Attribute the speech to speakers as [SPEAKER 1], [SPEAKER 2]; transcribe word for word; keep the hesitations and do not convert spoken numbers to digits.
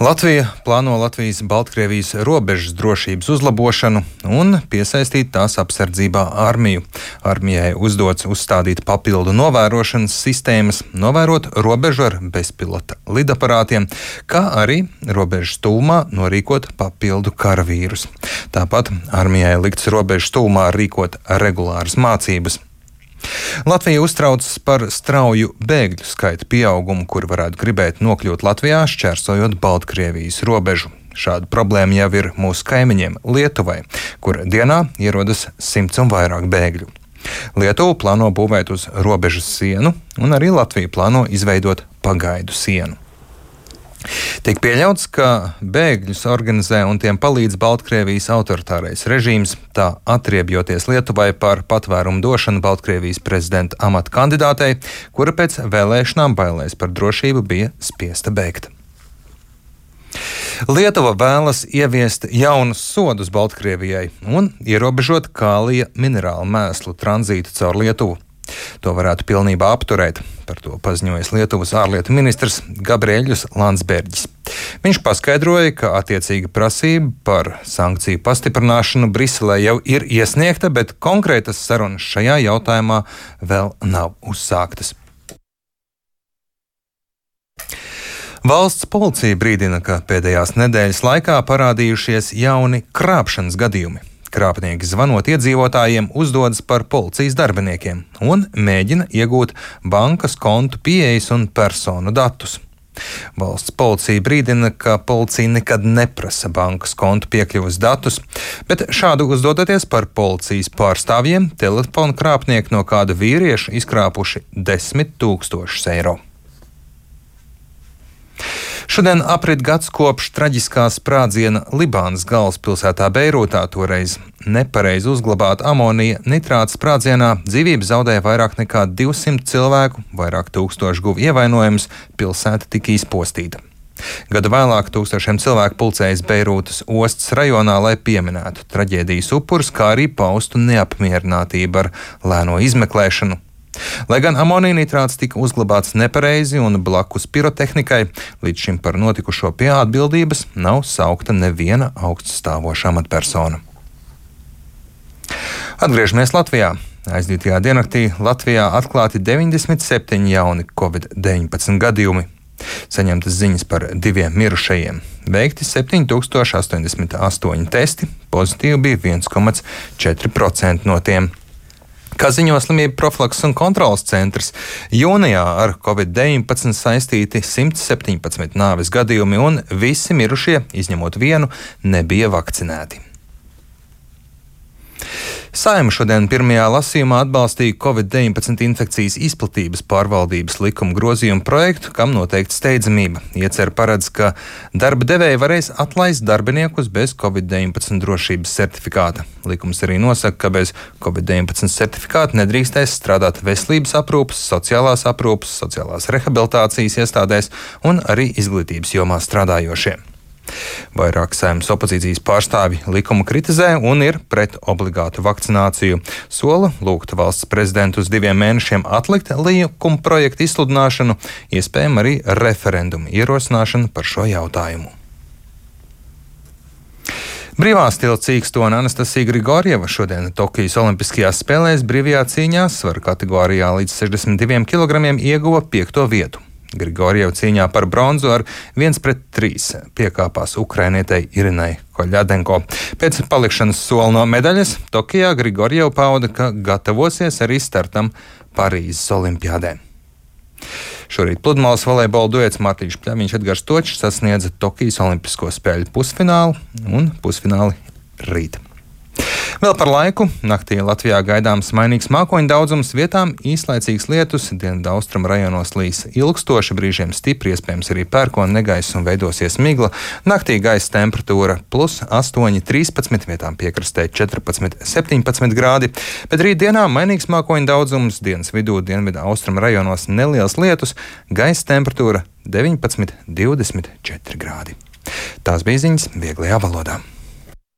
[SPEAKER 1] Latvija plāno Latvijas-Baltkrievijas robežas drošības uzlabošanu un piesaistīt tās apsardzībā armiju. Armijai uzdots uzstādīt papildu novērošanas sistēmas, novērot robežu ar bezpilota lidaparātiem, kā arī robežas tūmā norīkot papildu karavīrus. Tāpat armijai likts robežas tūmā rīkot regulāras mācības. Latvija uztraucas par strauju bēgļu skaita pieaugumu, kur varētu gribēt nokļūt Latvijā, šķērsojot Baltkrievijas robežu. Šāda problēma jau ir mūsu kaimiņiem Lietuvai, kur dienā ierodas simts un vairāk bēgļu. Lietuva plāno būvēt uz robežas sienu, un arī Latvija plāno izveidot pagaidu sienu. Tiek pieļauts, ka bēgļus organizē un tiem palīdz Baltkrievijas autoritārais režīms, tā atriebjoties Lietuvai par patvērumu došanu Baltkrievijas prezidenta amata kandidātei, kura pēc vēlēšanām bailēs par drošību bija spiesta bēgt. Lietuva vēlas ieviest jaunus sodus Baltkrievijai un ierobežot kālija minerālu mēslu tranzītu caur Lietuvu. To varētu pilnībā apturēt, par to paziņojas Lietuvas ārlietu ministrs Gabriēļus Landsbergis. Viņš paskaidroja, ka attiecīga prasība par sankciju pastiprināšanu Briselē jau ir iesniegta, bet konkrētas sarunas šajā jautājumā vēl nav uzsāktas. Valsts policija brīdina, ka pēdējās nedēļas laikā parādījušies jauni krāpšanas gadījumi. Krāpnieki zvanot iedzīvotājiem uzdodas par policijas darbiniekiem un mēģina iegūt bankas kontu pieejas un personu datus. Valsts policija brīdina, ka policija nekad neprasa bankas kontu piekļuves datus, bet šādu uzdodoties par policijas pārstāvjiem, telefonu krāpnieki no kāda vīrieša izkrāpuši desmit tūkstošus eiro. Šodien aprit gads kopš traģiskā sprādziena Libānas galvaspilsētā Beirūtā. Toreiz nepareizi uzglabāta amonija nitrāta sprādzienā dzīvību zaudēja vairāk nekā divsimt cilvēku, vairāk tūkstoši guva ievainojumus, pilsēta tika izpostīta. Gadu vēlāk tūkstošiem cilvēku pulcējas Beirūtas ostas rajonā, lai pieminētu traģēdijas upurus, kā arī paustu neapmierinātību ar lēno izmeklēšanu. Lai gan amonija nitrāts tika uzglabāts nepareizi un blakus pirotehnikai, līdz šim par notikušo pie atbildības nav saukta neviena augststāvoša amatpersona. Atgriežamies Latvijā. Aizdītajā diennaktī Latvijā atklāti deviņdesmit septiņi jauni covid deviņpadsmit gadījumi. Saņemtas ziņas par diviem mirušajiem. Veikti septiņi tūkstoši astoņdesmit astoņi testi, pozitīvi bija viens komats četri procenti no tiem. Kā ziņo Slimību profilakses un kontroles centrs, jūnijā ar covid deviņpadsmit saistīti simt septiņpadsmit nāves gadījumi un visi mirušie, izņemot vienu, nebija vakcinēti. Saeima šodien pirmajā lasījumā atbalstīja covid deviņpadsmit infekcijas izplatības pārvaldības likuma grozījumu projektu, kam noteikti steidzamība. Iecer paredz, ka darba devēji varēs atlaist darbiniekus bez covid deviņpadsmit drošības certifikāta. Likums arī nosaka, ka bez covid deviņpadsmit certifikāta nedrīkstēs strādāt veselības aprūpes, sociālās aprūpes, sociālās rehabilitācijas iestādēs un arī izglītības jomā strādājošie. Vairāk Saeimas opozīcijas pārstāvji likumu kritizē un ir pret obligātu vakcināciju. Sola lūgt valsts prezidentu uz diviem mēnešiem atlikt likuma projektu izsludināšanu, iespējams arī referendumu ierosināšanu par šo jautājumu. Brīvā stila cīkstone Anastasija Grigorjeva šodien Tokijas Olimpiskajās spēlēs brīvajā cīņā svaru kategorijā līdz sešdesmit diviem kilogramiem ieguva piekto vietu. Grigorjeva cīņā par bronzu ar viens pret trīs piekāpās ukrainietei Irinai Koļadenko. Pēc palikšanas sola no medaļas Tokijā Grigorjeva pauda, ka gatavosies arī startam Parīzes olimpiādē. Šorīt pludmales volejbola duets Mārtiņš Pļaviņš, Edgars Točs sasniedza Tokijas Olimpisko spēļu pusfinālu un pusfināli rīt. Vēl par laiku. Naktī Latvijā gaidāms mainīgs mākoņu daudzums, vietām īslaicīgs lietus, dienvidu austrumu rajonos līs ilgstoši, brīžiem stipri, iespējams arī pērkona negaiss un veidosies migla. Naktī gaisa temperatūra plus astoņi, trīspadsmit, vietām piekrastē četrpadsmit, septiņpadsmit grādi, bet rītdienā mainīgs mākoņu daudzums, dienas vidū dienvidu austrumu rajonos neliels lietus, gaisa temperatūra deviņpadsmit, divdesmit četri grādi. Tās bija ziņas vieglajā valodā.